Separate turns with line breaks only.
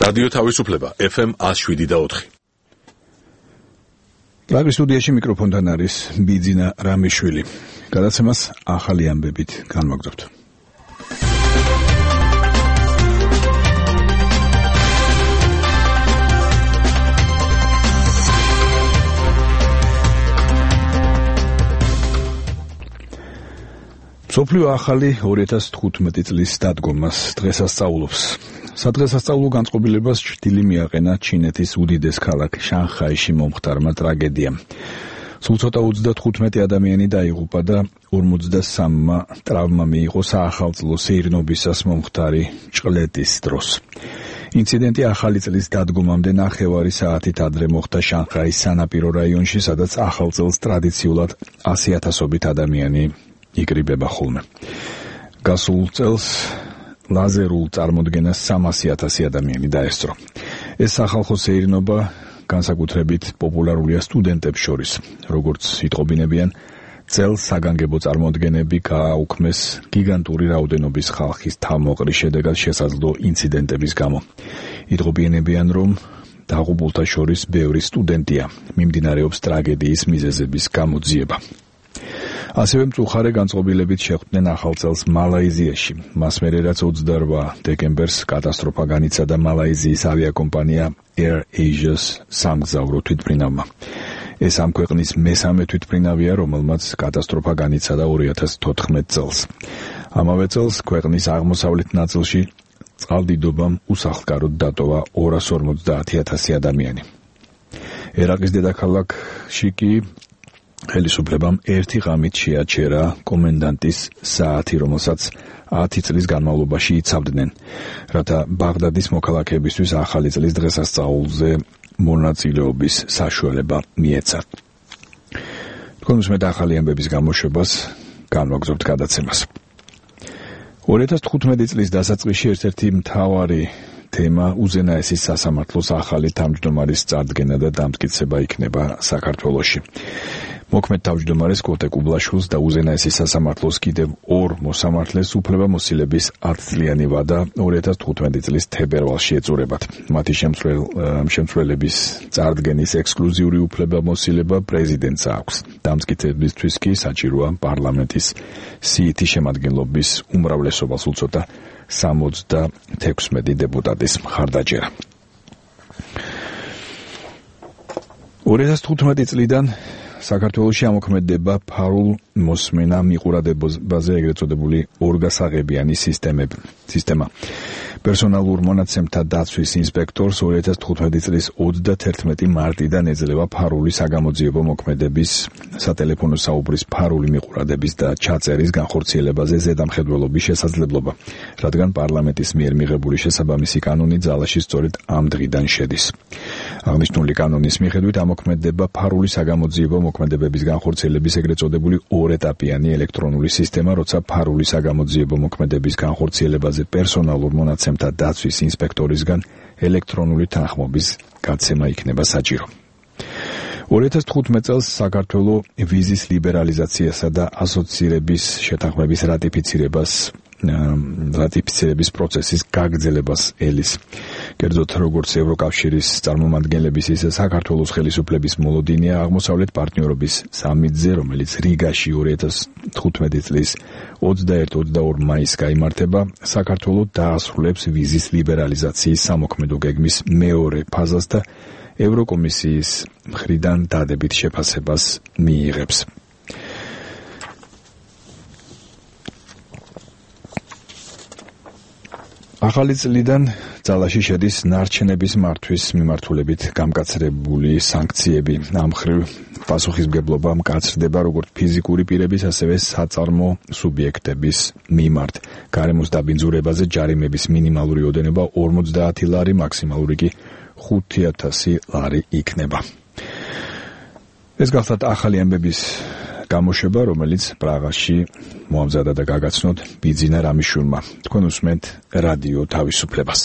რადიო თავისუფლება FM 107.4.
პრაგის სტუდიაში მიკროფონთან არის ბიძინა რამიშვილი. გადაცემას ახალი ამბებით განვაგრძობთ. მსოფლიო ახალი 2015 წლის დადგომას დღესასწაულობს. სადღესასწაულო განწყობილებას ჭრილი მიაყენა ჩინეთის უდიდეს ქალაქ შანხაიში მომხდარმა ტრაგედიამ. სულ ცოტა 35 ადამიანი დაიღუპა და 53-მა ტრავმა მიიღო საახალწლო სეირნობისას მომხდარი ჭყლეტის დროს. ინციდენტი ახალი წლის დადგომამდე ნახევარი საათით ადრე მოხდა შანხაის სანაპირო რაიონში, სადაც ახალ წელს ტრადიციულად 100,000-ობით ადამიანი იკრიბება ხოლმე. გასულ წელს ლაზერულ წარმოდგენას 300,000 ადამიანი დაესწრო. ეს სახალხო სეირნობა განსაკუთრებით პოპულარულია სტუდენტებს შორის. როგორც იტყობინებიან, წელს საგანგებო წარმოდგენები გააუქმეს გიგანტური რაოდენობის ხალხის თავმოყრის შედეგად შესაძლო ინციდენტების გამო. იტყობინებიან, რომ დაღუპულთა შორის ბევრი სტუდენტია. მიმდინარეობს ტრაგედიის მიზეზების გამოძიება. ასევე მწუხარე განწყობილებით შეხვდნენ ახალ წელს მალაიზიაში. მას მერე რაც 28 დეკემბერს კატასტროფა განიცადა მალაიზიის ავიაკომპანია Air Asia's სამგზავრო თვითმფრინავმა. ეს ამ ქვეყნის მესამე თვითმფრინავია, რომელმაც კატასტროფა განიცადა 2014 წელს. ამავე წელს ქვეყნის აღმოსავლეთ ნაწილში წყალდიდობამ უსახლკაროდ დატოვა 250,000 ადამიანი. ერაყის დედაქალაქში კი ხელისუფლებამ ერთი ღამით შეაჩერა კომენდანტის საათი, რომელსაც 10 წლის განმავლობაში იცავდნენ, რათა ბაღდადის მოქალაქეებისთვის ახალი წლის დღესასწაულზე მონაწილეობის საშუალება მიეცათ. თქვენ უსმენთ ახალი ამბების გამოშვებას, განვაგრძობთ გადაცემას. 2015 წლის დასაწყისში ერთ-ერთი მთავარი თემა უზენაესის სასამართლოს ახალი თავმჯდომარის წარდგენა და დამტკიცება იქნება საქართველოში. მოქმედ თავმჯდომარეს კოტე კუბლაშვილს და უზენაესის სასამართლოს კიდევ ორ მოსამართლეს უფლებამოსილების 10 წლიანი ვადა 2015 წლის თებერვალში ეწურებათ. მათი შემცვლელების წარდგენის ექსკლუზიური უფლებამოსილება პრეზიდენტს აქვს. დამტკიცებისთვის კი საჭიროა პარლამენტის სიითი შემადგენლობის უმრავლესობა, სულ ცოტა 76 დეპუტატის მხარდაჭერა. 2015 წლიდან საქართველოში ამოქმედება ფარულ მოსმენა მიყურადებაზე ეგრეთ წოდებული ორგასაღებიანი სისტემა. პერსონალურ მონაცემთა დაცვის ინსპექტორს 2015 წლის 31 მარტიდან ეძლევა ფარული საგამოძიებო მოქმედების, სატელეფონო საუბრის ფარული მიყურადების და ჩაწერის განხორციელებაზე ზედამხედველობის შესაძლებლობა, რადგან პარლამენტის მიერ მიღებული შესაბამისი კანონი ძალაში სწორედ ამ დღიდან შედის. აღნიშნული კანონის მიხედვით ამოქმედება ფარული საგამოძიებო მოქმედებების განხორციელების ეგრეთ წოდებული ორეტაპიანი ელექტრონული სისტემა, როცა ფარული საგამოძიებო მოქმედების განხორციელებაზე პერსონალურ მონაცემთა დაცვის ინსპექტორისგან ელექტრონული თანხმობის გაცემა იქნება საჭირო. 2015 წელს საქართველო ვიზის ლიბერალიზაციასა და ასოცირების შეთანხმების რატიფიცირების პროცესის გაგრძელებას ელის. კერძოდ, როგორც ევროკავშირის წარმომადგენლების, ისე საქართველოს ხელისუფლების მოლოდინია აღმოსავლეთ პარტნიორობის სამიტზე, რომელიც რიგაში 2015 წლის 21-22 მაისს გაიმართება, საქართველო დაასრულებს ვიზის ლიბერალიზაციის სამოქმედო გეგმის მეორე ფაზას და ევროკომისიის მხრიდან დადებით შეფასებას მიიღებს. ახალი წლიდან ძალაში შედის ნარჩენების მართვის მიმართულებით გამკაცრებული სანქციები. ამ მხრივ პასუხისმგებლობა მკაცრდება როგორც ფიზიკური პირების, ასევე საწარმო სუბიექტების მიმართ. გარემოს დაბინძურებაზე ჯარიმების მინიმალური ოდენობა 50 ლარი, მაქსიმალური კი 5,000 ლარი იქნება. ეს გახლავთ ახალი ამბების გამოშვება, რომელიც პრაღაში მოამზადა და გაგაცნოთ ბიძინა რამიშვილმა. თქვენ უსმენთ რადიო თავისუფლებას.